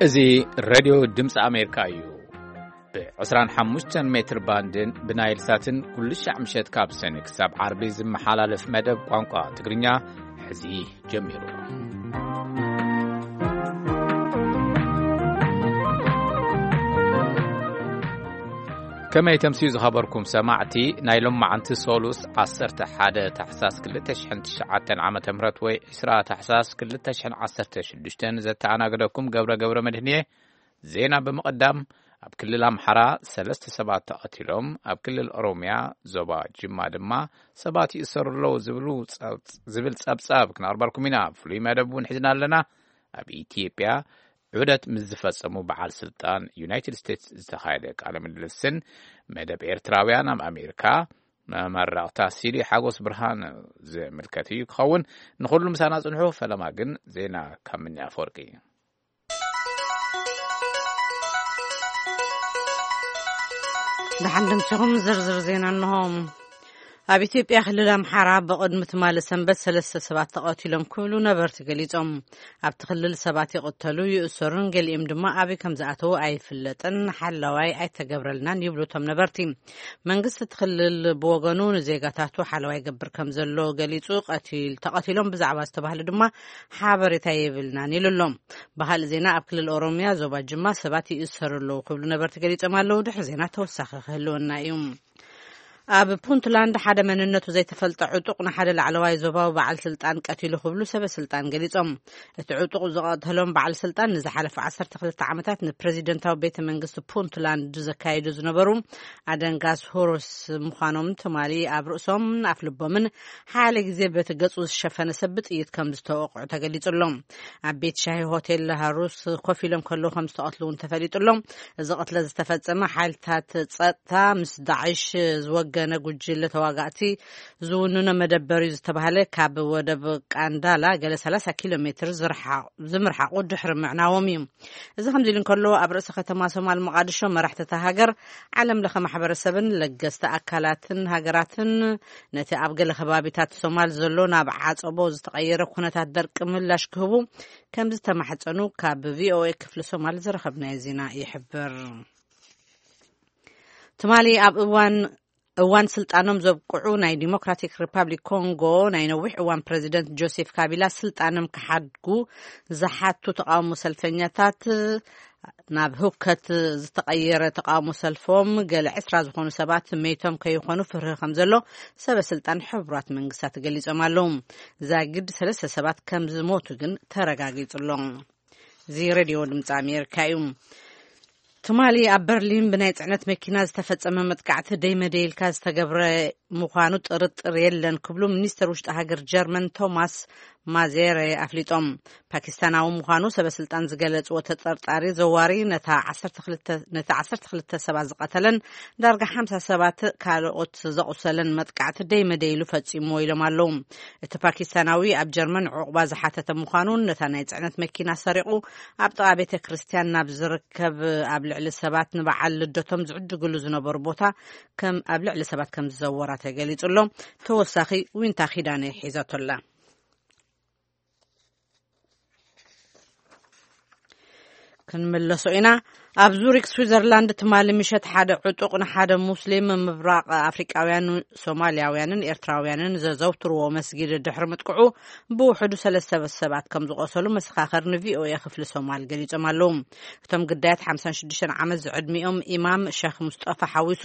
እዚ ሬድዮ ድምፂ ኣሜሪካ እዩ። ብ25 ሜትር ባንድን ብናይል ሳትን ኩሉ ሻዕ ምሸት ካብ ሰኒ ክሳብ ዓርቢ ዝመሓላለፍ መደብ ቋንቋ ትግርኛ ሕዚ ጀሚሩ። ከመይ ተምስዩ ዝኸበርኩም ሰማዕቲ፣ ናይ ሎማዓንቲ ሶሉስ ዓሰርተ ሓደ ታሕሳስ ክልተ ሽሕን ትሽዓተን ዓመተ ምህረት ወይ ዕስራ ታሕሳስ ክልተ ሽሕን ዓሰርተ ሽዱሽተን ዘተኣናገደኩም ገብረ ገብረ መድህን እየ። ዜና ብምቕዳም፣ ኣብ ክልል ኣምሓራ ሰለስተ ሰባት ተቐቲሎም፣ ኣብ ክልል ኦሮምያ ዞባ ጅማ ድማ ሰባት ይእሰሩ ኣለዉ ዝብሉ ጸብ-፣ ዝብል ጸብጻብ ክነቕርበልኩም ኢና። ፍሉይ መደብ እውን ሒዝና ኣለና። ኣብ ኢትዮጵያ ዑደት ምስ ዝፈጸሙ በዓል ስልጣን ዩናይትድ ስቴትስ ዝተኻየደ ቃለ ምልልስን መደብ ኤርትራውያን ኣብ ኣሜሪካ መመረቕታ ሲዲ ሓጎስ ብርሃን ዝምልከት እዩ ክኸውን። ንኹሉ ምሳና ጽንሑ። ፈለማ ግን ዜና ካብ ምኒ ኣፈወርቂ። ደሓን ደምሲኹም። ዝርዝር ዜና እንሆ። ኣብ ኢትዮጵያ ክልል ኣምሓራ ብቕድሚ ትማሊ ሰንበት ሰለስተ ሰባት ተቐቲሎም ክብሉ ነበርቲ ገሊጾም። ኣብቲ ክልል ሰባት ይቕተሉ፣ ይእሰሩን ገሊኦም ድማ ኣበይ ከም ዝኣተዉ ኣይፍለጥን፣ ሓላዋይ ኣይተገብረልናን ይብሉ እቶም ነበርቲ። መንግስቲ እቲ ክልል ብወገኑ ንዜጋታቱ ሓለዋ ይገብር ከም ዘሎ ገሊጹ፣ ቀቲል-፣ ተቐቲሎም ብዛዕባ ዝተባህሉ ድማ ሓበሬታ የብልናን ኢሉ ኣሎ። ብኻልእ ዜና፣ ኣብ ክልል ኦሮምያ ዞባ ጅማ ሰባት ይእሰሩ ኣለዉ ክብሉ ነበርቲ ገሊጾም ኣለዉ። ድሕሪ ዜና ተወሳኺ ክህልወና እዩ። ኣብ ፑንትላንድ ሓደ መንነቱ ዘይተፈልጠ ዕጡቕ ንሓደ ላዕለዋይ ዞባዊ በዓል ስልጣን ቀቲሉ ክብሉ ሰበ ስልጣን ገሊጾም። እቲ ዕጡቕ ዝቐተሎም በዓል ስልጣን ንዝሓለፈ ዓሰርተ ክልተ ዓመታት ንፕረዚደንታዊ ቤተ መንግስቲ ፑንትላንድ ዘካይዱ ዝነበሩ ኣደንጋስ ሆሮስ ምዃኖም ትማሊ ኣብ ርእሶምን ኣፍ ልቦምን ሓደ ግዜ በቲ ገጹ ዝሸፈነ ሰብ ብጥይት ከም ዝተወቕዑ ተገሊጹ ኣሎ። ኣብ ቤት ሻሂ ሆቴል ሃሩስ ኮፍ ኢሎም ከለዉ ከም ዝተቐትሉ እውን ተፈሊጡ ኣሎ። እዚ ቅትለት ዝተፈጸመ ሓይልታት ጸጥታ ምስ ዳዕሽ ዝወገነ ጉጅለ ተዋጋእቲ ዝውንኖ መደበር እዩ ዝተባህለ ካብ ወደብ ቃንዳላ ገለ ሰላሳ ኪሎ ሜትር ዝርሓ-፣ ዝምርሓቑ ድሕሪ ምዕናዎም እዩ። እዚ ከምዚ ኢሉ እንከሎ፣ ኣብ ርእሲ ከተማ ሶማል መቓድሾ መራሕቲ እታ ሃገር፣ ዓለም ለኸ ማሕበረሰብን ለገስቲ ኣካላትን ሃገራትን ነቲ ኣብ ገለ ከባቢታት ሶማል ዘሎ ናብ ዓጸቦ ዝተቐየረ ኩነታት ደርቂ ምላሽ ክህቡ ከም ዝተማሕጸኑ ካብ ቪኦኤ ክፍሊ ሶማል ዝረኸብናዮ ዜና ይሕብር። ትማሊ ኣብ እዋን፣ እዋን ስልጣኖም ዘብቅዑ ናይ ዲሞክራቲክ ሪፓብሊክ ኮንጎ ናይ ነዊሕ እዋን ፕረዚደንት ጆሴፍ ካቢላ ስልጣኖም ክሓድጉ ዝሓቱ ተቃውሞ ሰልፈኛታት ናብ ህውከት ዝተቐየረ ተቃውሞ ሰልፎም፣ ገለ ዕስራ ዝኾኑ ሰባት መይቶም ከይኾኑ ፍርሂ ከም ዘሎ ሰበ ስልጣን ሕቡራት መንግስታት ገሊጾም ኣለዉ። ዛጊድ ሰለስተ ሰባት ከም ዝሞቱ ግን ተረጋጊጹ ኣሎ። እዚ ሬድዮ ድምፂ ኣሜሪካ እዩ። ትማሊ ኣብ በርሊን ብናይ ጽዕነት መኪና ዝተፈጸመ መጥቃዕቲ ደይመደይልካ ዝተገብረ ምዃኑ ጥርጥር የለን ክብሉ ሚኒስተር ውሽጢ ሃገር ጀርመን ቶማስ ማዜረ ኣፍሊጦም። ፓኪስታናዊ ምዃኑ ሰበ ስልጣን ዝገለጽዎ ተጠርጣሪ ዘዋሪ ነታ ዓሰርተ ክልተ፣ ነቲ ዓሰርተ ክልተ ሰባት ዝቐተለን ዳርጋ ሓምሳ ሰባት ካልኦት ዘቑሰለን መጥቃዕቲ ደይመደይሉ ፈጺምዎ ኢሎም ኣለዉ። እቲ ፓኪስታናዊ ኣብ ጀርመን ዕቑባ ዝሓተተ ምዃኑን ነታ ናይ ጽዕነት መኪና ሰሪቑ ኣብ ጥቓ ቤተ ክርስቲያን ናብ ዝርከብ ኣብ ልዕሊ ሰባት ንበዓል ልደቶም ዝዕድግሉ ዝነበሩ ቦታ ከም ኣብ ልዕሊ ሰባት ከም ዝዘወራ ተገሊጹ ኣሎ። ተወሳኺ ዊንታ ኪዳነ ሒዛቶ ኣላ። ክንምለሶ ኢና። ኣብ ዙሪክ ስዊዘርላንድ ትማሊ ምሸት ሓደ ዕጡቕ ንሓደ ሙስሊም ምብራቕ ኣፍሪቃውያን፣ ሶማልያውያንን ኤርትራውያንን ዘዘውትርዎ መስጊድ ድሕሪ ምጥቅዑ ብውሕዱ ሰለስተ ሰባት ከም ዝቆሰሉ መሰኻኸር ንቪኦኤ ክፍሊ ሶማል ገሊጾም ኣለዉ። እቶም ግዳያት ሓምሳን ሽዱሽተን ዓመት ዝዕድሚኦም ኢማም ሸኽ ሙስጠፋ ሓዊሱ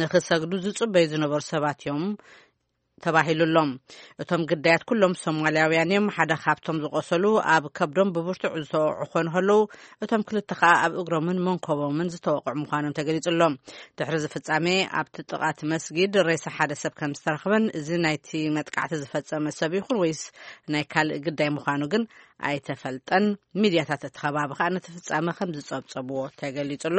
ንኽሰግዱ ዝጽበዩ ዝነበሩ ሰባት እዮም ተባሂሉ ኣሎ። እቶም ግዳያት ኩሎም ሶማልያውያን እዮም። ሓደ ካብቶም ዝቆሰሉ ኣብ ከብዶም ብብርቱዕ ዝተወቕዑ ክኾኑ ከለዉ፣ እቶም ክልተ ከኣ ኣብ እግሮምን መንኮቦምን ዝተወቕዑ ምዃኖም ተገሊጹ ኣሎ። ድሕሪ እዚ ፍጻሜ ኣብቲ ጥቓ እቲ መስጊድ ሬሳ ሓደ ሰብ ከም ዝተረኽበን እዚ ናይቲ መጥቃዕቲ ዝፈጸመ ሰብ ይኹን ወይስ ናይ ካልእ ግዳይ ምዃኑ ግን ኣይተፈልጠን። ሚድያታት እቲ ከባቢ ከኣ ነቲ ፍጻመ ከም ዝጸብጸብዎ ተገሊጹ ኣሎ።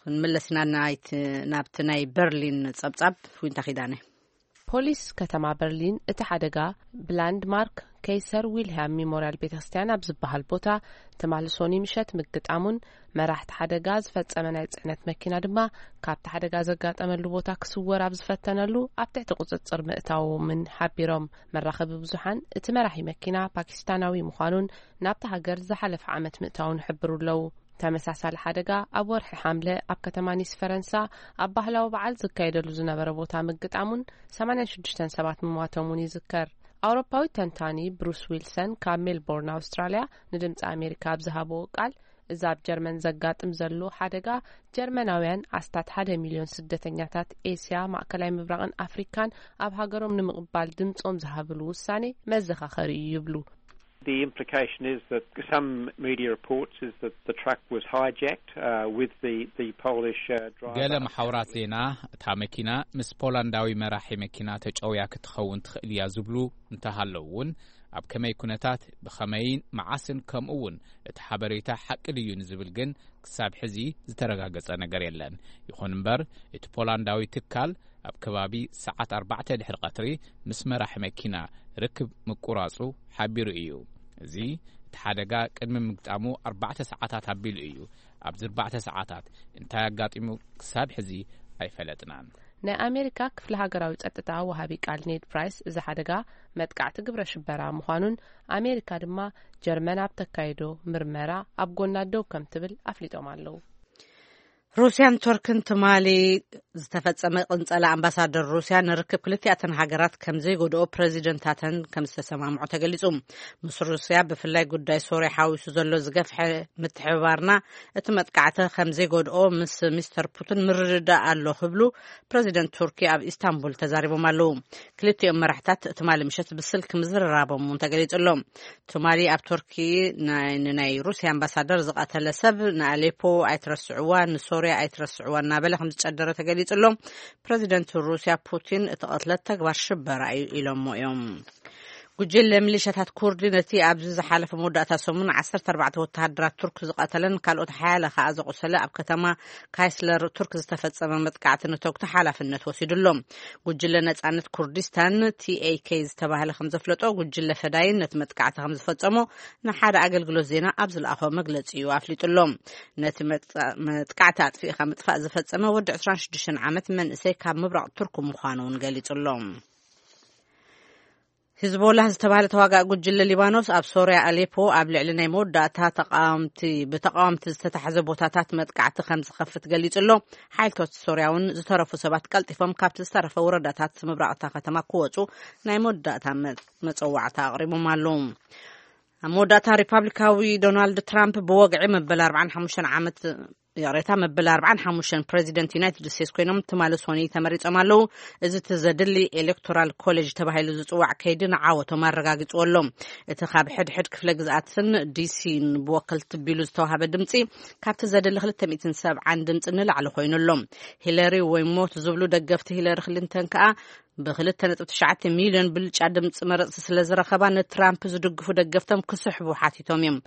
ክንምለስ ኢና ናይቲ፣ ናብቲ ናይ በርሊን ጸብጻብ ዊንታ ኪዳነ። ፖሊስ ከተማ በርሊን እቲ ሓደጋ ብላንድማርክ ከይሰር ዊልያም ሚሞርያል ቤተክርስትያን ኣብ ዝበሃል ቦታ ትማሊ ሶኒ ምሸት ምግጣሙን፣ መራሕቲ ሓደጋ ዝፈጸመ ናይ ጽዕነት መኪና ድማ ካብቲ ሓደጋ ዘጋጠመሉ ቦታ ክስወር ኣብ ዝፈተነሉ ኣብ ትሕቲ ቁጽጽር ምእታዎምን ሓቢሮም። መራኸቢ ብዙሓን እቲ መራሒ መኪና ፓኪስታናዊ ምዃኑን ናብቲ ሃገር ዝሓለፈ ዓመት ምእታውን ይሕብሩ ኣለዉ። ተመሳሳሊ ሓደጋ ኣብ ወርሒ ሓምለ ኣብ ከተማ ኒስ ፈረንሳ ኣብ ባህላዊ በዓል ዝካየደሉ ዝነበረ ቦታ ምግጣሙን ሰማንያን ሽዱሽተን ሰባት ምሟቶምን ይዝከር። ኣውሮፓዊ ተንታኒ ብሩስ ዊልሰን ካብ ሜልቦርን ኣውስትራልያ ንድምፂ ኣሜሪካ ኣብ ዝሃብዎ ቃል፣ እዚ ኣብ ጀርመን ዘጋጥም ዘሎ ሓደጋ ጀርመናውያን ኣስታት ሓደ ሚልዮን ስደተኛታት ኤስያ፣ ማእከላይ ምብራቕን ኣፍሪካን ኣብ ሃገሮም ንምቕባል ድምፆም ዝሃብሉ ውሳኔ መዘኻኸሪ እዩ ይብሉ። The implication is that some media reports is that the truck was hijacked uh, with the the Polish uh, driver. ገለ መሓውራት ዜና፣ እታ መኪና ምስ ፖላንዳዊ መራሒ መኪና ተጨውያ ክትኸውን ትኽእል እያ ዝብሉ እንተሃለዉ እውን፣ ኣብ ከመይ ኩነታት፣ ብኸመይን መዓስን፣ ከምኡ እውን እቲ ሓበሬታ ሓቂ ድዩ ንዝብል ግን ክሳብ ሕዚ ዝተረጋገጸ ነገር የለን። ይኹን እምበር፣ እቲ ፖላንዳዊ ትካል ኣብ ከባቢ ሰዓት ኣርባዕተ ድሕሪ ቀትሪ ምስ መራሒ መኪና ርክብ ምቁራጹ ሓቢሩ እዩ። እዚ እቲ ሓደጋ ቅድሚ ምግጣሙ ኣርባዕተ ሰዓታት ኣቢሉ እዩ። ኣብዚ ኣርባዕተ ሰዓታት እንታይ ኣጋጢሙ ክሳብ ሕዚ ኣይፈለጥናን። ናይ ኣሜሪካ ክፍሊ ሃገራዊ ጸጥታ ወሃቢ ቃል ኔድ ፕራይስ፣ እዚ ሓደጋ መጥቃዕቲ ግብረ ሽበራ ምዃኑን፣ ኣሜሪካ ድማ ጀርመን ኣብ ተካይዶ ምርመራ ኣብ ጎና ደው ከም ትብል ኣፍሊጦም ኣለዉ። ሩስያን ቱርክን ትማሊ ዝተፈጸመ ቅንጸላ ኣምባሳደር ሩስያ ንርክብ ክልቲኣተን ሃገራት ከም ዘይጎድኦ ፕረዚደንታተን ከም ዝተሰማምዑ ተገሊጹ። ምስ ሩስያ ብፍላይ ጉዳይ ሶርያ ሓዊሱ ዘሎ ዝገፍሐ ምትሕብባርና እቲ መጥቃዕቲ ከም ዘይጎድኦ ምስ ሚስተር ፑቲን ምርድዳእ ኣሎ ክብሉ ፕረዚደንት ቱርኪ ኣብ ኢስታንቡል ተዛሪቦም ኣለዉ። ክልቲኦም መራሕታት ትማሊ ምሸት ብስልክ ምዝርራቦም እውን ተገሊጹ ኣሎ። ትማሊ ኣብ ቱርኪ ናይ ንናይ ሩስያ ኣምባሳደር ዝቐተለ ሰብ ንኣሌፖ ኣይትረስዕዋ፣ ንሶርያ ኣይትረስዕዋ እናበለ ከም ዝጨደረ ተገሊጹ ኣሎ። ፕረዚደንት ሩስያ ፑቲን እቲ ቅትለት ተግባር ሽበራ እዩ ኢሎሞ እዮም። ጉጅለ ሚሊሻታት ኩርዲ ነቲ ኣብዚ ዝሓለፈ መወዳእታ ሰሙን ዓሰርተ ኣርባዕተ ወተሃደራት ቱርክ ዝቐተለን ካልኦት ሓያለ ከኣ ዘቑሰለ ኣብ ከተማ ካይስለር ቱርክ ዝተፈጸመ መጥቃዕቲ ንተግቶ ሓላፍነት ወሲዱ ኣሎ። ጉጅለ ነጻነት ኩርዲስታን፣ ቲ ኤ ኬ፣ ዝተባህለ ከም ዘፍለጦ፣ ጉጅለ ፈዳይን ነቲ መጥቃዕቲ ከም ዝፈጸሞ ንሓደ ኣገልግሎት ዜና ኣብ ዝለኣኾ መግለጺ እዩ ኣፍሊጡ ኣሎ። ነቲ መጥቃ-፣ መጥቃዕቲ ኣጥፊእካ ምጥፋእ ዝፈጸመ ወዲ ዕስራን ሽዱሽተን ዓመት መንእሰይ ካብ ምብራቕ ቱርክ ምዃኑ እውን ገሊጹ ኣሎ። ሂዝቦላህ ዝተባህለ ተዋጋኢ ጉጅለ ሊባኖስ ኣብ ሶርያ ኣሌፖ ኣብ ልዕሊ ናይ መወዳእታ ተቃወምቲ፣ ብተቃወምቲ ዝተታሕዘ ቦታታት መጥቃዕቲ ከም ዝኸፍት ገሊጹ ኣሎ። ሓይልታት ሶርያ እውን ዝተረፉ ሰባት ቀልጢፎም ካብቲ ዝተረፈ ወረዳታት ምብራቕ እታ ከተማ ክወጹ ናይ መወዳእታ መ-፣ መጸዋዕታ ኣቕሪቦም ኣለዉ። ኣብ መወዳእታ ሪፓብሊካዊ ዶናልድ ትራምፕ ብወግዒ መበል ኣርባዓን ሓሙሽተን ዓመት፣ ይቕሬታ፣ መበል ኣርባዓን ሓሙሽተን ፕረዚደንት ዩናይትድ ስቴትስ ኮይኖም ትማሊ ሶኒ ተመሪጾም ኣለዉ። እዚ እቲ ዘድሊ ኤሌክቶራል ኮሌጅ ተባሂሉ ዝጽዋዕ ከይዲ ንዓወቶም ኣረጋጊጽዎ ኣሎ። እቲ ካብ ሕድሕድ ክፍለ ግዝኣትን ዲሲን ብወከልቲ ቢሉ ዝተዋሃበ ድምጺ ካብቲ ዘድሊ ክልተ ሚእትን ሰብዓን ድምጺ ንላዕሊ ኮይኑ ኣሎ። ሂለሪ ወይ ሞት ዝብሉ ደገፍቲ ሂለሪ ክሊንተን ከኣ ብክልተ ነጥቢ ትሽዓተ ሚልዮን ብልጫ ድምፂ መረፅቲ ስለ ዝረኸባ ንትራምፕ ዝድግፉ ደገፍቶም ክስሕቡ ሓቲቶም እዮም።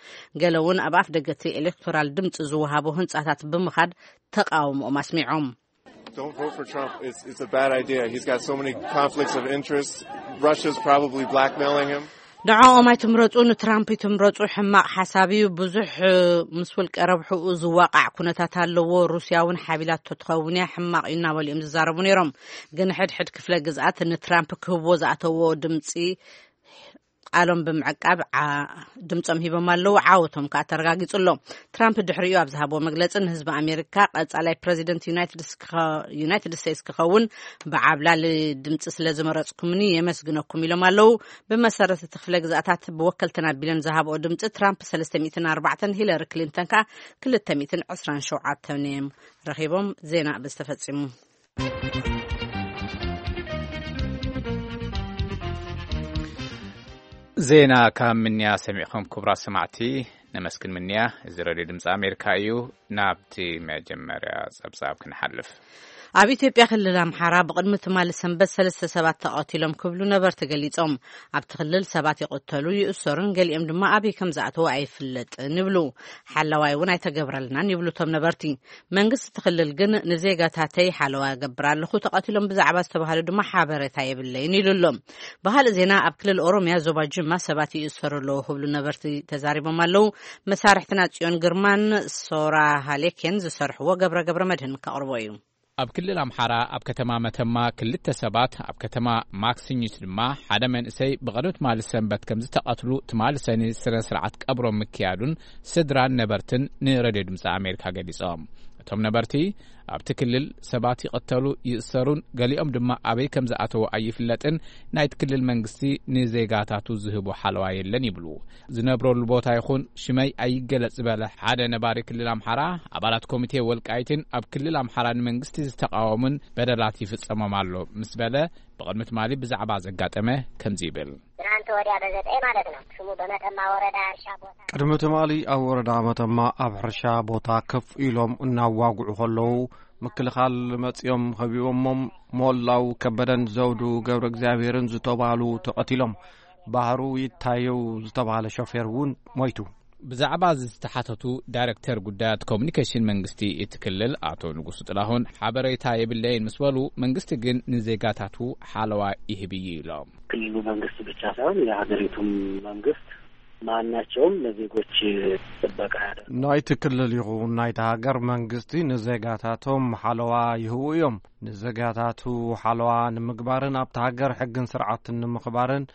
ገለ እውን ኣብ ኣፍ ደገ እቲ ኤሌክቶራል ድምፂ ዝወሃቡ ህንፃታት ብምኻድ ተቃውሞኦም ኣስሚዖም። Don't vote for Trump. It's, it's a bad idea. He's got so many conflicts of interest. Russia's probably blackmailing him. ንዕኦም ኣይትምረፁ፣ ንትራምፕ ይትምረፁ፣ ሕማቕ ሓሳብ እዩ። ብዙሕ ምስ ውልቀ ረብሕኡ ዝዋቃዕ ኩነታት ኣለዎ። ሩስያ እውን ሓቢላቶ ትኸውን እያ፣ ሕማቕ እዩ እናበሉ እዮም ዝዛረቡ ነይሮም። ግን ሕድሕድ ክፍለ ግዝኣት ንትራምፕ ክህብዎ ዝኣተዎ ድምፂ ቃሎም ብምዕቃብ ዓ-፣ ድምፆም ሂቦም ኣለዉ። ዓወቶም ከዓ ተረጋጊፁ ኣሎ። ትራምፕ ድሕሪኡ ኣብ ዝሃብዎ መግለፂ ንህዝቢ ኣሜሪካ ቀፃላይ ፕረዚደንት ዩናይትድ ስክኸ-፣ ዩናይትድ ስቴትስ ክኸውን ብዓብላሊ ድምፂ ስለ ዝመረፅኩምኒ የመስግነኩም ኢሎም ኣለዉ። ብመሰረት እቲ ክፍለ ግዝኣታት ብወከልተን ኣቢለን ዝሃብኦ ድምፂ ትራምፕ ሰለስተ ሚእትን ኣርባዕተን፣ ሂለሪ ክሊንተን ከዓ ክልተ ሚእትን ዕስራን ሸውዓተን እዮም ረኺቦም። ዜና ብዝተፈፂሙ። ዜና ካብ ምንያ ሰሚዕኹም ክቡራት ሰማዕቲ። ነመስግን ምንያ። እዚ ሬድዮ ድምፂ ኣሜሪካ እዩ። ናብቲ መጀመርያ ጸብጻብ ክንሓልፍ። ኣብ ኢትዮጵያ ክልል ኣምሓራ ብቕድሚ ትማሊ ሰንበት ሰለስተ ሰባት ተቐቲሎም ክብሉ ነበርቲ ገሊጾም። ኣብቲ ክልል ሰባት ይቕተሉ፣ ይእሰሩን ገሊኦም ድማ ኣበይ ከም ዝኣተዉ ኣይፍለጥን ይብሉ። ሓለዋይ እውን ኣይተገብረልናን ይብሉ እቶም ነበርቲ። መንግስቲ እቲ ክልል ግን ንዜጋታተይ ሓለዋ እገብር ኣለኹ፣ ተቐቲሎም ብዛዕባ ዝተባህሉ ድማ ሓበሬታ የብለይን ኢሉ ኣሎ። ብኻልእ ዜና ኣብ ክልል ኦሮምያ ዞባ ጅማ ሰባት ይእሰሩ ኣለዉ ክብሉ ነበርቲ ተዛሪቦም ኣለዉ። መሳርሕትና ጽዮን ግርማን ሶራ ሃሌኬን ዝሰርሕዎ ገብረ ገብረ መድህን ከቕርቦ እዩ። ኣብ ክልል ኣምሓራ ኣብ ከተማ መተማ ክልተ ሰባት ኣብ ከተማ ማክሲኝት ድማ ሓደ መንእሰይ ብቐደም ትማሊ ሰንበት ከም ዝተቐትሉ ትማሊ ሰኒ ስነ ስርዓት ቀብሮም ምክያዱን ስድራን ነበርትን ንሬድዮ ድምፂ ኣሜሪካ ገሊጾም። እቶም ነበርቲ ኣብቲ ክልል ሰባት ይቐተሉ ይእሰሩን ገሊኦም ድማ ኣበይ ከም ዝኣተዉ ኣይፍለጥን፣ ናይቲ ክልል መንግስቲ ንዜጋታቱ ዝህቦ ሓለዋ የለን ይብሉ። ዝነብረሉ ቦታ ይኹን ሽመይ ኣይገለጽ ዝበለ ሓደ ነባሪ ክልል ኣምሓራ ኣባላት ኮሚቴ ወልቃይትን ኣብ ክልል ኣምሓራ ንመንግስቲ ዝተቃወሙን በደላት ይፍጸሞም ኣሎ ምስ በለ ብቕድሚ ትማሊ ብዛዕባ ዘጋጠመ ከምዚ ይብል። ትናንት ወዲያ በዘጠኝ ማለት ነው። ስሙ በመተማ ወረዳ እርሻ ቦታ ቅድሚ ትማሊ ኣብ ወረዳ መተማ ኣብ ሕርሻ ቦታ ከፍ ኢሎም እናዋግዑ ከለዉ ምክልኻል መጺኦም ከቢቦሞም ሞላው ከበደን ዘውዱ ገብረ እግዚኣብሔርን ዝተባህሉ ተቐቲሎም። ባህሩ ይታየው ዝተባህለ ሾፌር እውን ሞይቱ። ብዛዕባ ዝተሓተቱ ዳይሬክተር ጉዳያት ኮሚኒኬሽን መንግስቲ እቲ ክልል ኣቶ ንጉሱ ጥላሁን ሓበሬታ የብለይን ምስ በሉ መንግስቲ ግን ንዜጋታቱ ሓለዋ ይህብ እዩ ኢሎም። ክልሉ መንግስት ብቻ ሳይሆን የሀገሪቱም መንግስት ማናቸውም ለዜጎች ጥበቃ ያደርጋል። ናይቲ ክልል ይኹን ናይቲ ሃገር መንግስቲ ንዜጋታቶም ሓለዋ ይህቡ እዮም። ንዜጋታቱ ሓለዋ ንምግባርን ኣብቲ ሃገር ሕግን ስርዓትን ንምኽባርን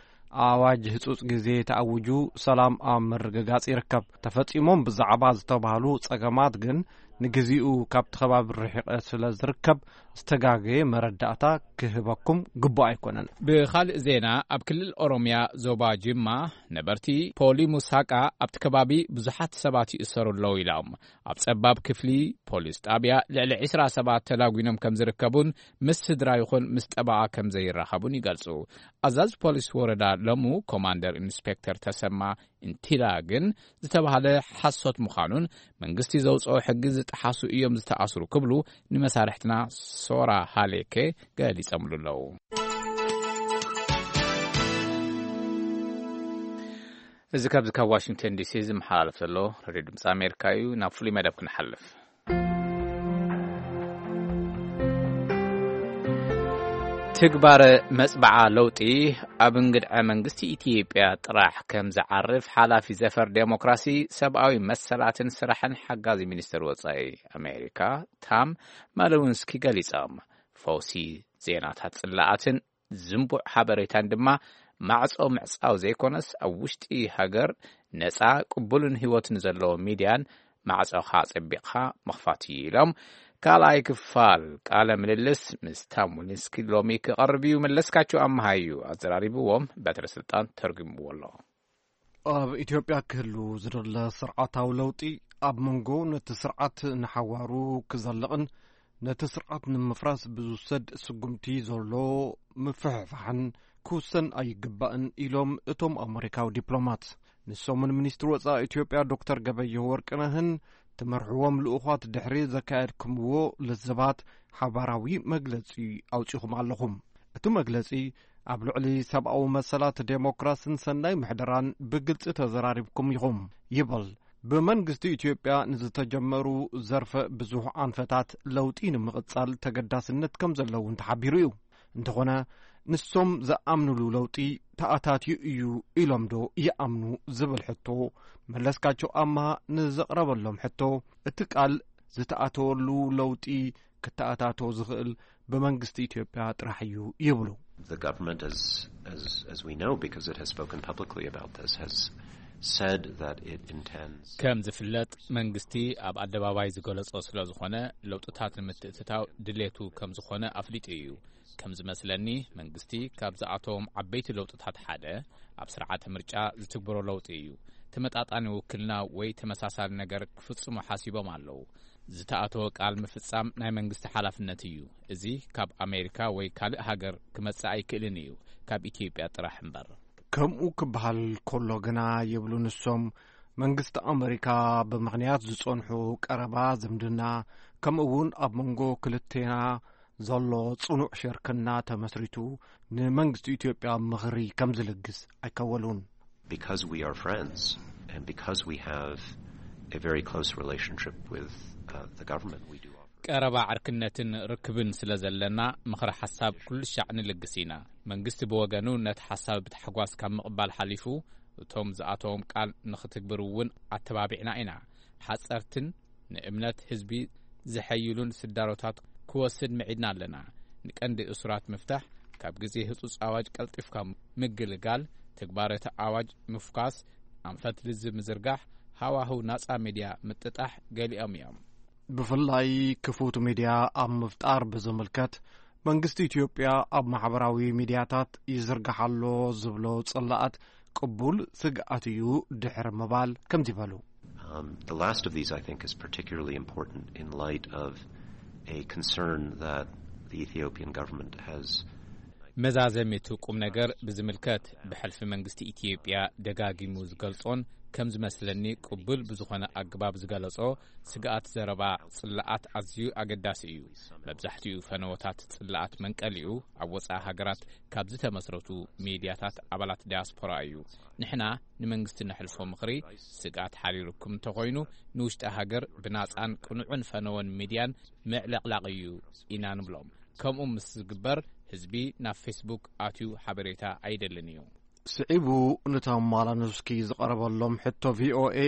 ኣዋጅ ህጹጽ ግዜ ተኣውጁ ሰላም ኣብ ምርግጋጽ ይርከብ። ተፈጺሞም ብዛዕባ ዝተባህሉ ጸገማት ግን ንግዚኡ ካብቲ ከባቢ ርሒቐ ስለ ዝርከብ ዝተጋገየ መረዳእታ ክህበኩም ግቡእ ኣይኮነን። ብኻልእ ዜና ኣብ ክልል ኦሮምያ ዞባ ጅማ ነበርቲ ፖሊ ሙሳቃ ኣብቲ ከባቢ ብዙሓት ሰባት ይእሰሩ ኣለዉ ኢሎም። ኣብ ጸባብ ክፍሊ ፖሊስ ጣብያ ልዕሊ ዕስራ ሰባት ተላጒኖም ከም ዝርከቡን ምስ ስድራ ይኹን ምስ ጠበቓ ከም ዘይራኸቡን ይገልጹ። ኣዛዚ ፖሊስ ወረዳ ለሙ ኮማንደር ኢንስፔክተር ተሰማ እንቲላ ግን ዝተባህለ ሓሶት ምዃኑን መንግስቲ ዘውፅኦ ሕጊ ዝጠሓሱ እዮም ዝተኣስሩ ክብሉ ንመሳርሕትና ሶራ ሃሌኬ ገሊጸምሉ ኣለዉ። እዚ ካብዚ ካብ ዋሽንግተን ዲሲ ዝመሓላለፍ ዘሎ ሬድዮ ድምፂ ኣሜሪካ እዩ። ናብ ፍሉይ መደብ ክንሓልፍ። ትግባረ መጽባዓ ለውጢ ኣብ እንግድዐ መንግስቲ ኢትዮጵያ ጥራሕ ከም ዝዓርፍ ሓላፊ ዘፈር ዴሞክራሲ፣ ሰብኣዊ መሰላትን ስራሕን ሓጋዚ ሚኒስትር ወጻኢ ኣሜሪካ ታም ማለውንስኪ ገሊጾም። ፈውሲ ዜናታት ጽላኣትን ዝንቡዕ ሓበሬታን ድማ ማዕጾ ምዕጻው ዘይኮነስ ኣብ ውሽጢ ሃገር ነጻ ቅቡልን ህይወትን ዘለዎ ሚድያን ማዕጾኻ ኣጸቢቕኻ ምኽፋት እዩ ኢሎም። ካልኣይ ክፋል ቃለ ምልልስ ምስ ታም ዊሊንስኪ ሎሚ ክቐርብ እዩ። መለስካቸው ኣምሃ እዩ ኣዘራሪብዎም፣ በትረ ስልጣን ተርጉምዎ ኣሎ። ኣብ ኢትዮጵያ ክህሉ ዝደለ ስርዓታዊ ለውጢ ኣብ መንጎ ነቲ ስርዓት ንሓዋሩ ክዘልቕን ነቲ ስርዓት ንምፍራስ ብዝውሰድ ስጉምቲ ዘሎ ምፍሕፋሕን ክውሰን ኣይግባእን ኢሎም እቶም ኣመሪካዊ ዲፕሎማት። ንሶምን ሚኒስትሪ ወጻኢ ኢትዮጵያ ዶክተር ገበየሁ ወርቅነህን ትመርሕዎም ልኡኻት ድሕሪ ዘካየድኩምዎ ልዝባት ሓባራዊ መግለጺ ኣውጺኹም ኣለኹም። እቲ መግለጺ ኣብ ልዕሊ ሰብኣዊ መሰላት ዴሞክራስን ሰናይ ምሕደራን ብግልጺ ተዘራሪብኩም ኢኹም ይብል። ብመንግስቲ ኢትዮጵያ ንዝተጀመሩ ዘርፈ ብዙሕ ኣንፈታት ለውጢ ንምቕጻል ተገዳስነት ከም ዘለውን ተሓቢሩ እዩ። እንተኾነ ንሶም ዝኣምኑሉ ለውጢ ተኣታትዩ እዩ ኢሎም ዶ ይኣምኑ ዝብል ሕቶ መለስካቸው ኣምሃ ንዘቕረበሎም ሕቶ እቲ ቃል ዝተኣተወሉ ለውጢ ክተኣታቶ ዝኽእል ብመንግስቲ ኢትዮጵያ ጥራሕ እዩ ይብሉ። The government, as, as, as we know, because it has spoken publicly about this, has said that it intends ከም ዝፍለጥ መንግስቲ ኣብ ኣደባባይ ዝገለጾ ስለ ዝኾነ ለውጥታት ንምትእትታው ድሌቱ ከም ዝኾነ ኣፍሊጡ እዩ። ከም ዝመስለኒ መንግስቲ ካብ ዝኣተዎም ዓበይቲ ለውጥታት ሓደ ኣብ ስርዓተ ምርጫ ዝትግበሮ ለውጢ እዩ። ተመጣጣኒ ውክልና ወይ ተመሳሳሊ ነገር ክፍጽሙ ሓሲቦም ኣለዉ። ዝተኣተወ ቃል ምፍጻም ናይ መንግስቲ ሓላፍነት እዩ። እዚ ካብ ኣሜሪካ ወይ ካልእ ሃገር ክመጽእ ኣይክእልን እዩ፣ ካብ ኢትዮጵያ ጥራሕ እምበር። ከምኡ ክበሃል ከሎ ግና ይብሉ ንሶም፣ መንግስቲ ኣመሪካ ብምኽንያት ዝጸንሑ ቀረባ ዝምድና፣ ከምኡ እውን ኣብ መንጎ ክልቴና ዘሎ ጽኑዕ ሽርክና ተመስሪቱ፣ ንመንግስቲ ኢትዮጵያ ምኽሪ ከም ዝልግስ ኣይከወሉን። Because we are friends and because we have a very close relationship with uh, the government, we do offer. ቀረባ ዕርክነትን ርክብን ስለ ዘለና፣ ምኽሪ ሓሳብ ኩሉ ሻዕ ንልግስ ኢና። መንግስቲ ብወገኑ ነቲ ሓሳብ ብታሕጓስ ካብ ምቕባል ሓሊፉ፣ እቶም ዝኣተዎም ቃል ንኽትግብር እውን ኣተባቢዕና ኢና። ሓጸርትን ንእምነት ህዝቢ ዘሐይሉን ስዳሮታት ክወስድ ምዒድና ኣለና። ንቀንዲ እሱራት ምፍታሕ፣ ካብ ግዜ ህጹጽ ኣዋጅ ቀልጢፍካ ምግልጋል፣ ትግባረ እቲ ኣዋጅ ምፍኳስ፣ ኣንፈት ልዝብ ምዝርጋሕ፣ ሃዋህው ናጻ ሚድያ ምጥጣሕ ገሊኦም እዮም። ብፍላይ ክፉት ሚድያ ኣብ ምፍጣር ብዝምልከት፣ መንግስቲ ኢትዮጵያ ኣብ ማሕበራዊ ሚድያታት ይዝርጋሕ ኣሎ ዝብሎ ጽላኣት ቅቡል ስግኣት እዩ ድሕሪ ምባል ከምዚ በሉ። Um, the last of these, I think, is particularly important in light of a concern that the Ethiopian government has. መዛዘሚ እቲ ቁም ነገር ብዝምልከት፣ ብሕልፊ መንግስቲ ኢትዮጵያ ደጋጊሙ ዝገልጾን ከም ዝመስለኒ ቅቡል ብዝኾነ ኣገባብ ዝገለጾ ስግኣት ዘረባ ጽላኣት ኣዝዩ ኣገዳሲ እዩ። መብዛሕትኡ ፈነወታት ጽላኣት መንቀሊኡ ኣብ ወጻኢ ሃገራት ካብ ዝተመስረቱ ሚድያታት ኣባላት ዲያስፖራ እዩ። ንሕና ንመንግስቲ ነሕልፎ ምኽሪ ስግኣት ሓሪሩኩም እንተኾይኑ፣ ንውሽጢ ሃገር ብናጻን ቅኑዕን ፈነወን ሚድያን ምዕልቕላቕ እዩ ኢና ንብሎም። ከምኡ ምስ ዝግበር፣ ህዝቢ ናብ ፌስቡክ ኣትዩ ሓበሬታ ኣይደልን እዩ። ስዒቡ ንቶም ማላኖስኪ ዝቐረበሎም ሕቶ ቪኦኤ፣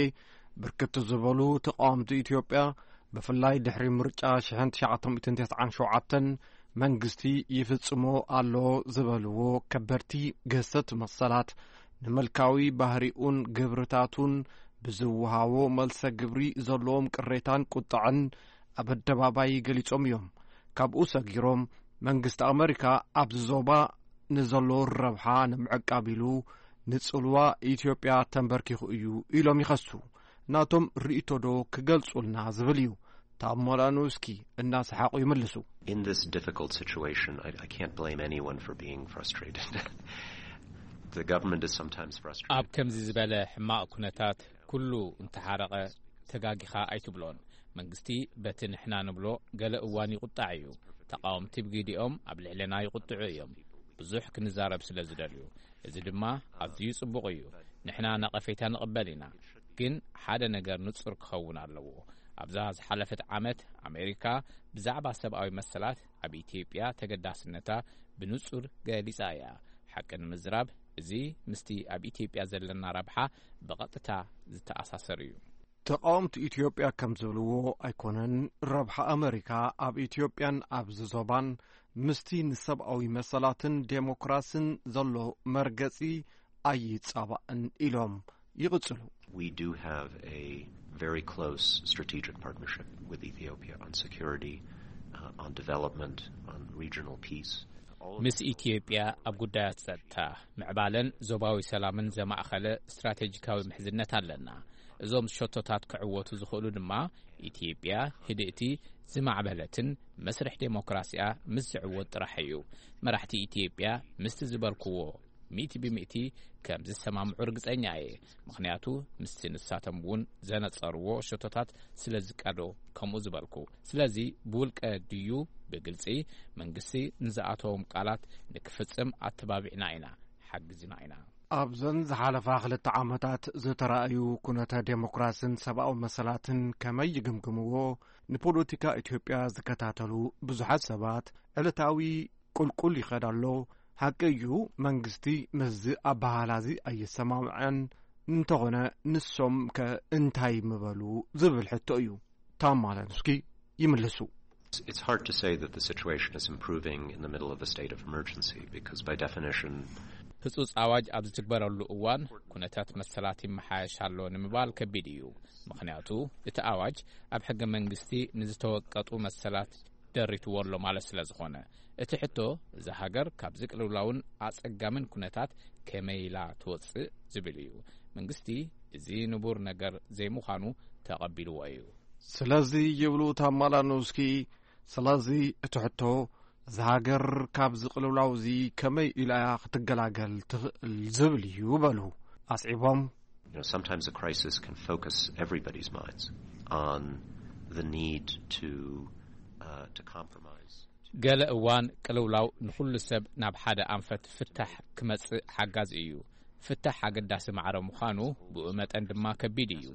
ብርክት ዝበሉ ተቃወምቲ ኢትዮጵያ፣ ብፍላይ ድሕሪ ምርጫ ሽሕን ትሽዓተ ሚእትን ተስዓን ሸውዓተን መንግስቲ ይፍጽሞ ኣሎ ዝበልዎ ከበድቲ ገሰት መሰላት፣ ንመልካዊ ባህሪኡን ግብርታቱን ብዝወሃቦ መልሰ ግብሪ ዘለዎም ቅሬታን ቁጥዐን ኣብ ኣደባባይ ገሊጾም እዮም። ካብኡ ሰጊሮም፣ መንግስቲ ኣመሪካ ኣብዚ ዞባ ንዘሎ ረብሓ ንምዕቃብ ኢሉ ንጽልዋ ኢትዮጵያ ተንበርኪኹ እዩ ኢሎም ይኸሱ። ናቶም ርእይቶ ዶ ክገልጹልና ዝብል እዩ። ታሞላኖስኪ እናሰሓቑ ይምልሱ። In this difficult situation, I, I can't blame anyone for being frustrated. The government is sometimes frustrated. ኣብ ከምዚ ዝበለ ሕማቕ ኩነታት ኩሉ እንተሓረቐ ተጋጊኻ ኣይትብሎን። መንግስቲ በቲ ንሕና ንብሎ ገለ እዋን ይቁጣዕ እዩ። ተቃወምቲ ብግዲኦም ኣብ ልዕለና ይቁጥዑ እዮም። ብዙሕ ክንዛረብ ስለ ዝደልዩ፣ እዚ ድማ ኣዝዩ ጽቡቕ እዩ። ንሕና ነቐፌታ ንቕበል ኢና፣ ግን ሓደ ነገር ንጹር ክኸውን ኣለዎ። ኣብዛ ዝሓለፈት ዓመት ኣሜሪካ ብዛዕባ ሰብኣዊ መሰላት ኣብ ኢትዮጵያ ተገዳስነታ ብንጹር ገሊጻ እያ። ሓቂ ንምዝራብ፣ እዚ ምስቲ ኣብ ኢትዮጵያ ዘለና ረብሓ ብቐጥታ ዝተኣሳሰር እዩ። ተቃወምቲ ኢትዮጵያ ከም ዝብልዎ ኣይኮነን፣ ረብሓ ኣመሪካ ኣብ ኢትዮጵያን ኣብዚ ዞባን ምስቲ ንሰብኣዊ መሰላትን ዴሞክራስን ዘሎ መርገጺ ኣይጻባእን ኢሎም ይቕጽሉ። We do have a very close strategic partnership with Ethiopia on security, uh, on development, on regional peace. All of ምስ ኢትዮጵያ ኣብ ጉዳያት ጸጥታ፣ ምዕባለን ዞባዊ ሰላምን ዘማእኸለ ስትራቴጂካዊ ምሕዝነት ኣለና። እዞም ሸቶታት ክዕወቱ ዝኽእሉ ድማ ኢትዮጵያ ህድእቲ፣ ዝማዕበለትን መስርሕ ዴሞክራሲኣ ምስ ዝዕወት ጥራሕ እዩ። መራሕቲ ኢትዮጵያ ምስቲ ዝበልክዎ ሚእቲ ብሚእቲ ከም ዝሰማምዑ ርግጸኛ እየ። ምኽንያቱ ምስቲ ንሳቶም እውን ዘነጸርዎ ሸቶታት ስለ ዝቃዶ ከምኡ ዝበልኩ። ስለዚ ብውልቀ ድዩ ብግልጺ መንግስቲ ንዝኣተዎም ቃላት ንክፍጽም ኣተባቢዕና ኢና፣ ሓጊዝና ኢና። ኣብዘን ዝሓለፋ ክልተ ዓመታት ዝተራእዩ ኩነተ ዴሞክራስን ሰብኣዊ መሰላትን ከመይ ይግምግምዎ? ንፖለቲካ ኢትዮጵያ ዝከታተሉ ብዙሓት ሰባት ዕለታዊ ቁልቁል ይኸድ ኣሎ። ሓቂ እዩ፣ መንግስቲ ምስዚ ኣበሃህላዚ ኣይሰማምዐን። እንተኾነ ንሶም ከ እንታይ ምበሉ ዝብል ሕቶ እዩ። ታማለንስኪ ይምልሱ። It's hard to say that the situation is improving in the middle of a state of emergency because, by definition, ህጹጽ ኣዋጅ ኣብ ዝትግበረሉ እዋን ኩነታት መሰላት ይመሓየሽ ኣሎ ንምባል ከቢድ እዩ። ምኽንያቱ እቲ ኣዋጅ ኣብ ሕገ መንግስቲ ንዝተወቀጡ መሰላት ደሪትዎ ኣሎ ማለት ስለ ዝኾነ። እቲ ሕቶ፣ እዛ ሃገር ካብዚ ቅልውላውን ኣጸጋምን ኩነታት ከመይ ኢላ ትወጽእ ዝብል እዩ። መንግስቲ እዚ ንቡር ነገር ዘይምዃኑ ተቐቢልዎ እዩ። ስለዚ ይብሉ ታማላኖስኪ፣ ስለዚ እቲ ሕቶ፣ እዛ ሃገር ካብዚ ቅልውላው እዚ ከመይ ኢላ ክትገላገል ትኽእል ዝብል እዩ በሉ። ኣስዒቦም፣ You know, sometimes a crisis can focus everybody's minds on the need to uh, to compromise. ገለ እዋን ቅልውላው ንኹሉ ሰብ ናብ ሓደ ኣንፈት ፍታሕ ክመጽእ ሓጋዚ እዩ። ፍታሕ ኣገዳሲ ማዕረ ምዃኑ ብኡ መጠን ድማ ከቢድ እዩ።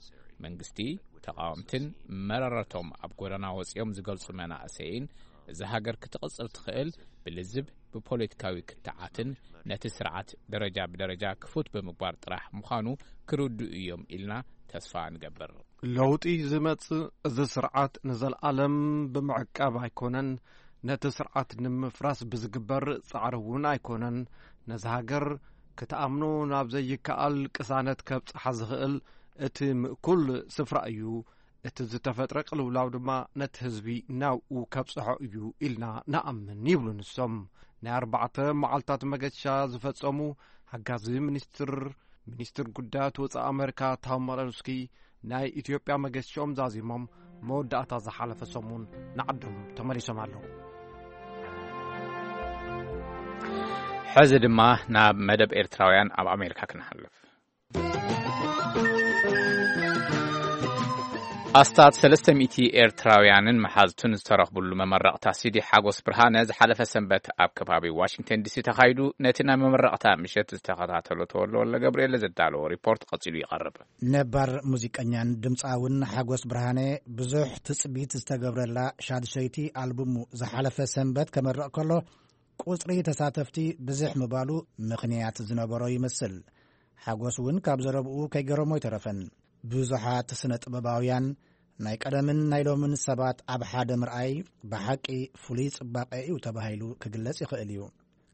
መንግስቲ፣ ተቓወምትን መረረቶም ኣብ ጎደና ወጺኦም ዝገልጹ መናእሰይን፣ እዛ ሃገር ክትቕጽል ትኽእል ብልዝብ፣ ብፖለቲካዊ ክትዓትን ነቲ ስርዓት ደረጃ ብደረጃ ክፉት ብምግባር ጥራሕ ምዃኑ ክርድኡ እዮም ኢልና ተስፋ ንገብር። ለውጢ ዝመጽእ እዚ ስርዓት ንዘለኣለም ብምዕቃብ ኣይኮነን፣ ነቲ ስርዓት ንምፍራስ ብዝግበር ጻዕሪ እውን ኣይኮነን። ነዚ ሃገር ክትኣምኖ ናብ ዘይከኣል ቅሳነት ከብጽሓ ዝኽእል እቲ ምእኩል ስፍራ እዩ። እቲ ዝተፈጥረ ቅልውላው ድማ ነቲ ህዝቢ ናብኡ ከብጽሖ እዩ ኢልና ንኣምን ይብሉ ንሶም። ናይ ኣርባዕተ መዓልታት መገሻ ዝፈጸሙ ሓጋዚ ሚኒስትር ሚኒስትር ጉዳያት ወጻኢ ኣመሪካ ታም ማለንስኪ ናይ ኢትዮጵያ መገሻኦም ዛዚሞም መወዳእታ ዝሓለፈ ሰሙን ንዓዶም ተመሊሶም ኣለዉ። ሕዚ ድማ ናብ መደብ ኤርትራውያን ኣብ ኣሜሪካ ክንሓልፍ። ኣስታት ሰለስተ ሚእቲ ኤርትራውያንን መሓዝቱን ዝተረኽብሉ መመረቕታ ሲዲ ሓጎስ ብርሃነ ዝሓለፈ ሰንበት ኣብ ከባቢ ዋሽንግተን ዲሲ ተኻይዱ። ነቲ ናይ መመረቕታ ምሸት ዝተኸታተሎ ተወልደ ወልደ ገብርኤል ዘዳለዎ ሪፖርት ቀጺሉ ይቐርብ። ነባር ሙዚቀኛን ድምጻውን ሓጎስ ብርሃነ ብዙሕ ትጽቢት ዝተገብረላ ሻድሸይቲ ኣልቡሙ ዝሓለፈ ሰንበት ከመርቕ ከሎ፣ ቁጽሪ ተሳተፍቲ ብዝሕ ምባሉ ምኽንያት ዝነበሮ ይመስል። ሓጎስ እውን ካብ ዘረብኡ ከይገረሞ ኣይተረፈን። ብዙሓት ስነ ጥበባውያን፣ ናይ ቀደምን ናይ ሎምን ሰባት ኣብ ሓደ ምርኣይ ብሓቂ ፍሉይ ጽባቐ እዩ ተባሂሉ ክግለጽ ይኽእል እዩ።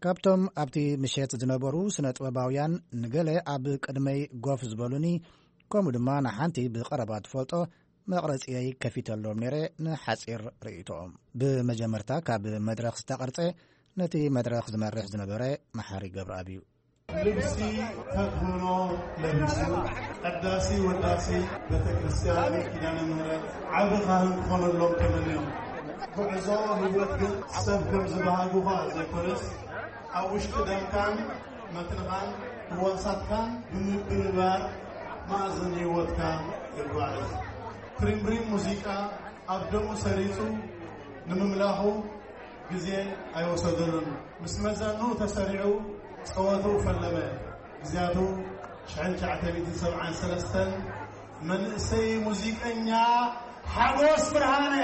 ካብቶም ኣብቲ ምሸት ዝነበሩ ስነ ጥበባውያን ንገለ ኣብ ቅድመይ ጎፍ ዝበሉኒ፣ ከምኡ ድማ ንሓንቲ ብቐረባ ትፈልጦ መቕረጺየይ ከፊተሎም ነይረ ንሓጺር ርእይቶኦም። ብመጀመርታ ካብ መድረኽ ዝተቐርጸ ነቲ መድረኽ ዝመርሕ ዝነበረ መሓሪ ገብረኣብ እዩ። ልብሲ ተክህኖ ለቢሱ ቀዳሲ ወዳሲ ቤተ ክርስቲያን ኪዳነ ምሕረት ዓቢ ካህን ክኾነሎም ተመንዮም። ጉዕዞ ህይወት ግን ሰብ ከም ዝበሃጉኻ ዘይኮነስ ኣብ ውሽጢ ደምካን መትንኻን ህዋሳትካን ብምብርባር ማእዝን ህይወትካ ይጓዓዝ። ትሪምብሪም ሙዚቃ ኣብ ደሙ ሰሪጹ ንምምላኹ ግዜ ኣይወሰደሉን። ምስ መዛኑ ተሰሪዑ ጸወትኡ ፈለመ። ግዜያቱ ሽሕን ትሽዓተ ሚእትን ሰብዓን ሰለስተን መንእሰይ ሙዚቀኛ ሓጎስ ብርሃነ።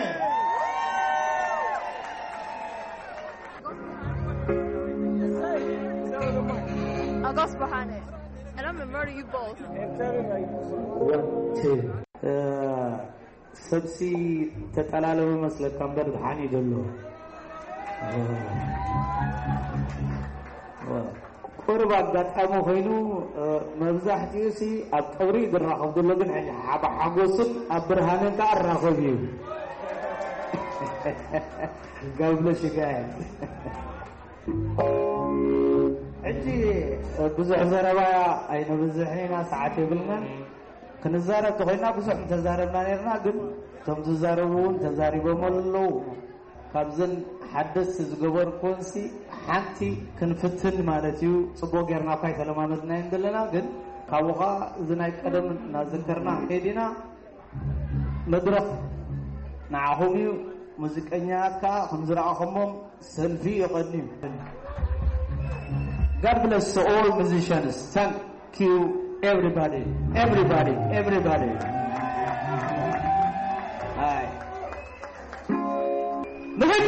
Agos Bahane. And I'm gonna murder you both. ሰብሲ ተጠላለቡ መስለካ እምበር ድሓን እዩ ዘሎ። ቁርብ ኣጋጣሚ ኮይኑ መብዛሕትኡ ሲ ኣብ ቀብሪ ዝራኸብ ዘሎ ግን ሕጂ ሓጎስን ኣብ ብርሃንን ከኣ ራኸብ እዩ። ጋብለ ሽጋየት ሕጂ ብዙሕ ዘረባ ኣይነብዝሕን ኢና፣ ሰዓት የብልናን። ክንዛረብ ተኾይና ብዙሕ እንተዛረብና ነርና፣ ግን እቶም ዝዛረቡ እውን ተዛሪቦም ኣለዉ። ካብዘን ሓደስቲ ዝገበርኩንሲ ሓንቲ ክንፍትን ማለት እዩ። ጽቡቕ ጌርና እኳ ኣይተለማመድናዮን ዘለና፣ ግን ካብኡ ኸዓ እዚ ናይ ቀደም እናዘከርና ክንከይድ ኢና። መድረኽ ንዓኹም እዩ። ሙዚቀኛታት ከኣ ከም ዝረኣኹሞም ሰልፊ ይቐንዩ። God bless all musicians. Thank you, everybody. Everybody. Everybody. Hi. ንኺድ።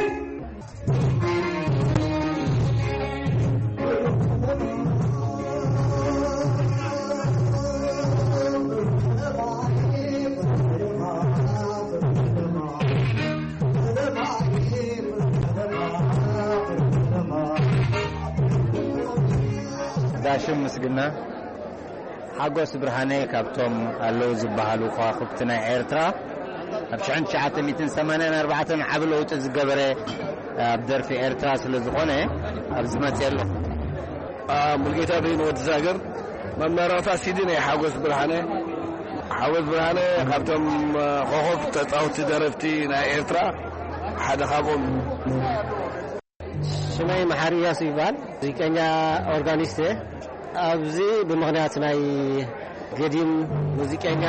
ጋሽም ምስግና ሓጎስ ብርሃነ ካብቶም ኣለዉ ዝበሃሉ ከዋኽብቲ ናይ ኤርትራ ኣብ ሽሕን ትሽዓተ ሚእትን ሰማንያን ኣርባዕተን ዓቢ ለውጢ ዝገበረ ኣብ ደርፊ ኤርትራ ስለ ዝኾነ ኣብዚ መጽየ ኣለኹ። ሙልጌታ በይኑ ወዲ ዛገር መመረቕታ ሲዲ ናይ ሓጎስ ብርሃነ። ሓጎስ ብርሃነ ካብቶም ኮኾብ ተጻወቲ ደረፍቲ ናይ ኤርትራ ሓደ ካብኦም። ሽመይ መሓሪ እያሱ ይበሃል። ሙዚቀኛ ኦርጋኒስት እየ። ኣብዚ ብምኽንያት ናይ ገዲም ሙዚቀኛ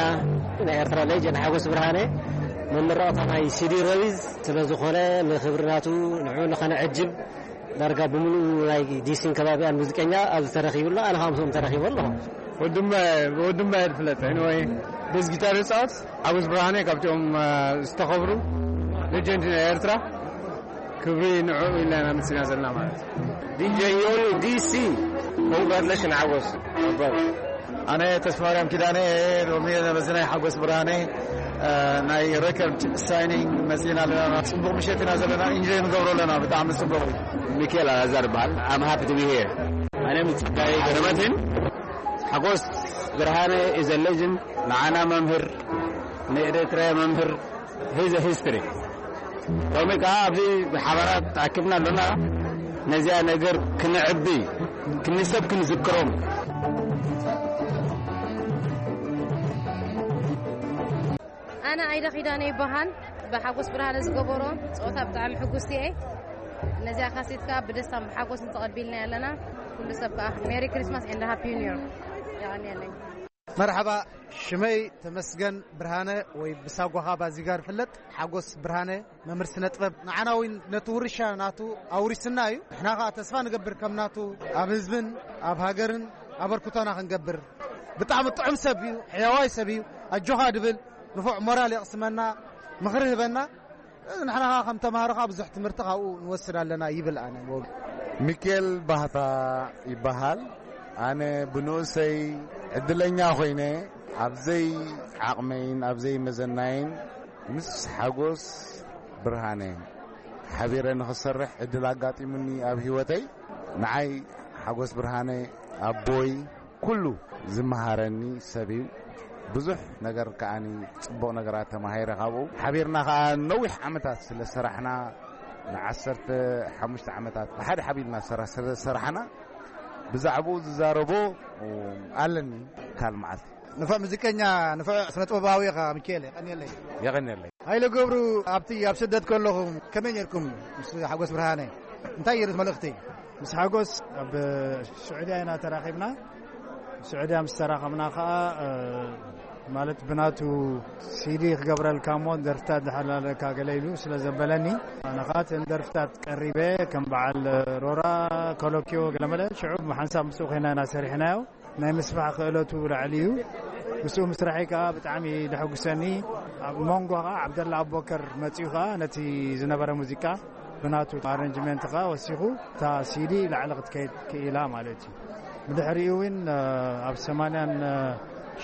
ናይ ኤርትራ ሌጀንድ ሓጎስ ብርሃነ መመረቕታ ናይ ሲዲ ረቢዝ ስለ ዝኾነ፣ ንኽብሪ ናቱ ንዕኡ ንኸነዕጅብ ዳርጋ ብምሉእ ናይ ዲሲን ከባቢኣን ሙዚቀኛ ኣብዚ ተረኺቡ ኣሎ። ኣነ ከዓ ምስኦም ተረኺቡ ኣለኹ። ወድማ ወድማ ይፍለጥ ወይ ቤዝ ጊታር ይጻወት ሓጎስ ብርሃነ ካብቲኦም ዝተኸብሩ ሌጀንድ ናይ ኤርትራ ክብሪ ንዕኡ ኢልና ኢና መጺና ዘለና ማለት እዩ። ዲጀ ዮኒ ዲሲ ኮንግራትሌሽን ሓጎስ። ኣነ ተስፋማርያም ኪዳነ፣ ሎሚ መዝናይ ሓጎስ ብርሃነ ናይ ሬከርድ ሳይኒንግ መጺና ኣለና። ጽቡቕ ምሸት ኢና ዘለና፣ ኢንጆይ ንገብሮ ኣለና። ብጣዕሚ ጽቡቕ። ሚካኤል ኣላዛር ይበሃል። I'm happy to be here. ኣነ ምጽጋይ ገረመትን ሓጎስ ብርሃነ is a legend። ንዓና መምህር፣ ንኤርትራ መምህር፣ he's a history። ሎሚ ከዓ ኣብዚ ብሓባራት ተኣኪብና ኣለና። ነዚኣ ነገር ክንዕቢ፣ ክንሰብ ክንዝክሮም። ኣነ ኣይደ ኪዳነ ይበሃል። ብሓጎስ ብርሃነ ዝገበሮ ጸወታ ብጣዕሚ ሕጉስቲ እየ። ነዚኣ ካሴት ከዓ ብደስታን ብሓጎስን ተቐቢልና ኣለና። ኩሉ ሰብ ከዓ ሜሪ ክሪስማስ and ሃፒ ኒው ይር። የቐንየለይ። መርሓባ፣ ሽመይ ተመስገን ብርሃነ ወይ ብሳጓኻ ባዚጋር ፍለጥ። ሓጎስ ብርሃነ መምህር ስነ ጥበብ ንዓና እውን ነቲ ውርሻ ናቱ ኣውሪስና እዩ። ንሕና ከዓ ተስፋ ንገብር ከም ናቱ ኣብ ህዝብን ኣብ ሃገርን ኣበርክቶና ክንገብር። ብጣዕሚ ጥዑም ሰብ እዩ፣ ሕያዋይ ሰብ እዩ። ኣጆኻ ድብል ንፉዕ ሞራል የቕስመና፣ ምኽሪ ህበና። እዚ ንሕና ከዓ ከም ተምሃሮ ከዓ ብዙሕ ትምህርቲ ካብኡ ንወስድ ኣለና ይብል ኣነ። ሚኬል ባህታ ይበሃል። ኣነ ብንኡሰይ ዕድለኛ ኮይነ ኣብዘይ ዓቕመይን ኣብዘይ መዘናይን ምስ ሓጎስ ብርሃነ ሓቢረ ንኽሰርሕ ዕድል ኣጋጢሙኒ ኣብ ህይወተይ። ንዓይ ሓጎስ ብርሃነ ኣቦይ ኩሉ ዝመሃረኒ ሰብ እዩ። ብዙሕ ነገር ከዓኒ ጽቡቕ ነገራት ተማሂረ ካብኡ። ሓቢርና ከኣ ነዊሕ ዓመታት ስለ ሰራሕና፣ ንዓሰርተ ሓሙሽተ ዓመታት ብሓደ ሓቢርና ሰራ-፣ ስለ ሰራሕና፣ ብዛዕባኡ ዝዛረቦ ኣለኒ። ካል መዓልቲ። ንፉዕ ሙዚቀኛ፣ ንፉዕ ስነ ጥበባዊ ኢኻ ሚካኤል፣ የቐንየለይ። የቐንየለይ። ሃይለ ገብሩ፣ ኣብቲ ኣብ ስደት ከለኹም ከመይ ኔርኩም ምስ ሓጎስ ብርሃነ? እንታይ እዩ መልእኽቲ? ምስ ሓጎስ ኣብ ስዑድያ ኢና ተራኺብና። ስዑድያ ምስ ተራኸብና ኸኣ፣ እ፣ ማለት ብናቱ ሲዲ ክገብረልካ እሞ ደርፍታት ዝሓላለካ ገለ ኢሉ ስለ ዘበለኒ፣ ኣነ ኸኣ እተን ደርፍታት ቀሪበ ከም በዓል ሮራ፣ ኮሎኪዮ፣ ገለመለ ሽዑ ብሓንሳብ ምስኡ ኮይና ኢና ሰሪሕናዮ። ናይ ምስፋሕ ክእለቱ ላዕሊ እዩ። ምስኡ ምስራሐይ ከኣ ብጣዕሚ ደሐጉሰኒ። ኣብ መንጎ ከኣ ዓብደላ ኣቦከር መጺኡ ከኣ ነቲ ዝነበረ ሙዚቃ ብናቱ ኣረንጅመንት ከኣ ወሲኹ እታ ሲዲ ላዕሊ ክትከይድ ክኢላ ማለት እዩ። ብድሕሪኡ እውን፣ እ፣ ኣብ ሰማንያን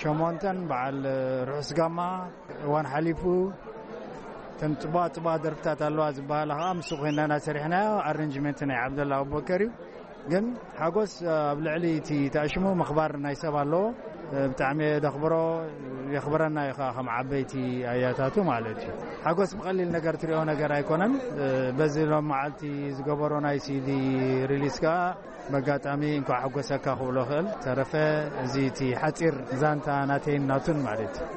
ሸሞንተን በዓል ርሑስ ጋማ እዋን ሓሊፉ እተን ጽቡቓ ጽቡቓ ደርፍታት ኣለዋ ዝበሃላ ከኣ ምስኡ ኮይና ኢና ሰሪሕናዮ። ኣረንጅመንት ናይ ዓብደላ ኣቦከር እዩ። ግን ሓጎስ ኣብ ልዕሊ እቲ ተኣሽሙ ምኽባር ናይ ሰብ ኣለዎ። ብጣዕሚ የደኽብሮ፣ የኽብረና እዩ ከኣ ከም ዓበይቲ ኣያታቱ ማለት እዩ። ሓጎስ ብቐሊል ነገር ትሪኦ ነገር ኣይኮነን። በዚ ሎም መዓልቲ ዝገበሮ ናይ ሲዲ ሪሊስ ከኣ በጋጣሚ እንኳዕ ሓጎሰካ ክብሎ ክእል። ተረፈ እዚ እቲ ሓጺር ዛንታ ናተይን ናቱን ማለት እዩ።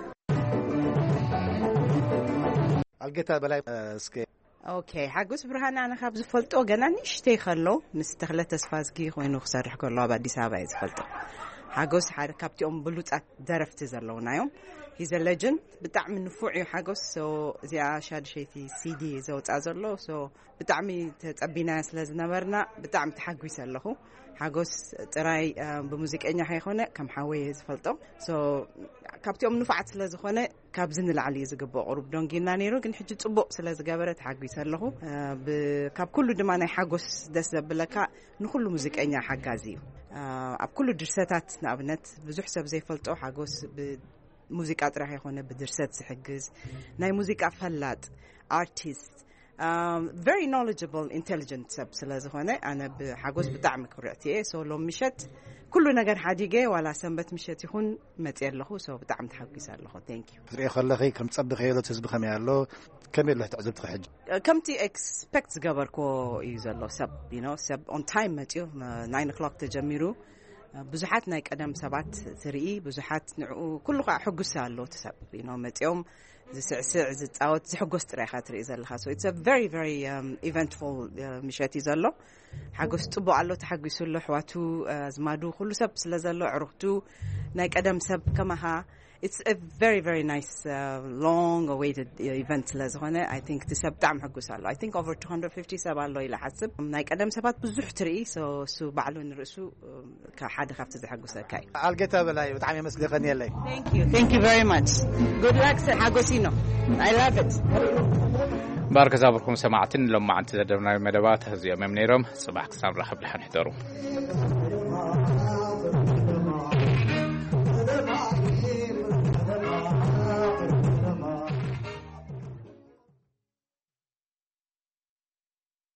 ኣልጌታ በላይ፣ እስከ ኦኬ፣ ሓጎስ ብርሃነ ኣነ ካብ ዝፈልጦ ገና ንእሽተይ ከሎ ምስ ተኽለ ተስፋዝጊ ኮይኑ ክሰርሕ ከሎ ኣብ ኣዲስ ኣበባ እየ ዝፈልጦ። ሓጎስ ሓደ ካብቲኦም ብሉጻት ደረፍቲ ዘለውና እዮም። He's a legend። ብጣዕሚ ንፉዕ እዩ ሓጎስ። So እዚኣ ሻድሸይቲ ሲዲ ዘውፅኣ ዘሎ። So ብጣዕሚ ተጸቢናዮ ስለ ዝነበርና ብጣዕሚ ተሓጒሰ ኣለኹ። ሓጎስ ጥራይ፣ እ፣ ብሙዚቀኛ ከይኮነ ከም ሓወይ እየ ዝፈልጦ። So ካብቲኦም ንፉዓት ስለ ዝኾነ ካብዚ ንላዕሊ እዩ ዝግብኦ። ቁሩብ ደንጊና ነይሩ፣ ግን ሕጂ ጽቡቕ ስለ ዝገበረ ተሓጒሰ ኣለኹ። እ፣ ብ-፣ ካብ ኩሉ ድማ ናይ ሓጎስ ደስ ዘብለካ ንኹሉ ሙዚቀኛ ሓጋዚ እዩ። እ፣ ኣብ ኩሉ ድርሰታት ንኣብነት ብዙሕ ሰብ ዘይፈልጦ ሓጎስ ብሙዚቃ ጥራሕ ይኾነ ብድርሰት ዝሕግዝ ናይ ሙዚቃ ፈላጥ ኣርቲስት፣ እ፣ very knowledgeable intelligent ሰብ ስለ ዝኾነ ኣነ ብሓጎስ ብጣዕሚ ክርዕቲ እየ። So ሎም ምሸት ኩሉ ነገር ሓዲገ ዋላ ሰንበት ምሸት ይኹን መጽየ ኣለኹ። So ብጣዕሚ ተሓጒሰ ኣለኹ። Thank you። ክትሪኦ ከለኺ ከም ጸብኺ የሎት ህዝቢ ከመይ ኣሎ? ከመይ ኣሎ ትዕዝብትኺ ሕጂ? ከምቲ ኤክስፐክት ዝገበርክዎ እዩ ዘሎ። ሰብ፣ you know፣ ሰብ on time መጽዩ፣ ናይን ኦክሎክ ተጀሚሩ። ብዙሓት ናይ ቀደም ሰባት ትርኢ፣ ብዙሓት ንዕኡ ኩሉ ከዓ ሕጉስ ኣሎ እቲ ሰብ፣ you know፣ መጽዮም ዝስዕስዕ ዝፃወት ዝሕጎስ ጥራይ ኢኻ ትርኢ ዘለኻ። So it's a very very eventful ምሸት እዩ ዘሎ። ሓጎስ ፅቡቅ ኣሎ፣ ተሓጒሱ ኣሎ። ኣሕዋቱ፣ ኣዝማዱ፣ ኩሉ ሰብ ስለ ዘሎ፣ ኣዕሩኽቱ፣ ናይ ቀደም ሰብ ከማኻ፣ it's a very very nice long awaited event ስለ ዝኾነ፣ I think እቲ ሰብ ብጣዕሚ ሕጉስ ኣሎ። I think over two hundred fifty ሰብ ኣሎ ኢለ ሓስብ። ናይ ቀደም ሰባት ብዙሕ ትርኢ። So እሱ ባዕሉ ንርእሱ ሓደ ካብቲ ዘሐጉሰካ እዩ። ኣልጌታ በላይ፣ ብጣዕሚ የመስግን። የቀንየለይ። Thank you, thank you very much. Good luck. ሓጎሲኖ፣ I love it. እምበኣር ክዛብርኩም ሰማዕትን ሎማዓንቲ ዘደብናዊ መደባት እዚኦም እዮም ነይሮም። ጽባሕ ክሳብ ንራኸብ ደሓን ሕደሩ።